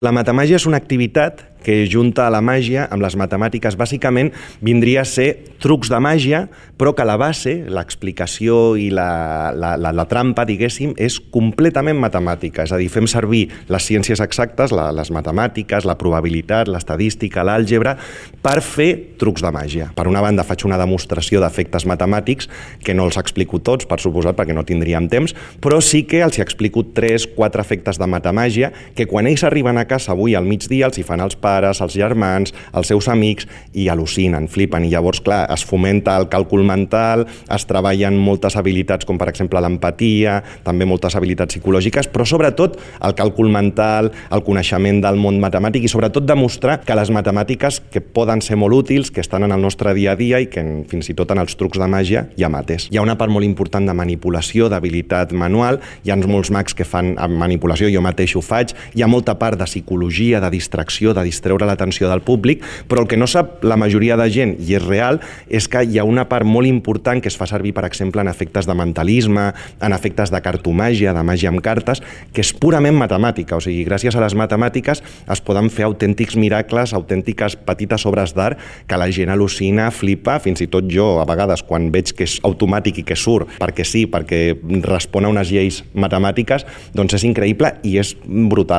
La matamàgia és una activitat que junta la màgia amb les matemàtiques. Bàsicament vindria a ser trucs de màgia, però que la base, l'explicació i la trampa, diguéssim, és completament matemàtica. És a dir, fem servir les ciències exactes, les matemàtiques, la probabilitat, l'estadística, l'àlgebra, per fer trucs de màgia. Per una banda, faig una demostració d'efectes matemàtics, que no els explico tots, per suposat, perquè no tindríem temps, però sí que els explico 3-4 efectes de matamàgia, que quan ells arriben a casa avui al migdia els hi fan els pares, els germans, els seus amics, i al·lucinen, flipen. I llavors, clar, es fomenta el càlcul mental, es treballen moltes habilitats, com per exemple l'empatia, també moltes habilitats psicològiques, però sobretot el càlcul mental, el coneixement del món matemàtic i sobretot demostrar que les matemàtiques que poden ser molt útils, que estan en el nostre dia a dia i que fins i tot en els trucs de màgia hi ha mates. Hi ha una part molt important de manipulació, d'habilitat manual, hi ha molts mags que fan manipulació, jo mateix ho faig, hi ha molta part de psicologia, de distracció, de distreure l'atenció del públic, però el que no sap la majoria de gent, i és real, és que hi ha una part molt important que es fa servir, per exemple, en efectes de mentalisme, en efectes de cartomàgia, de màgia amb cartes, que és purament matemàtica. O sigui, gràcies a les matemàtiques es poden fer autèntics miracles, autèntiques petites obres d'art que la gent al·lucina, flipa, fins i tot jo, a vegades, quan veig que és automàtic i que surt, perquè sí, perquè respon a unes lleis matemàtiques, doncs és increïble i és brutal.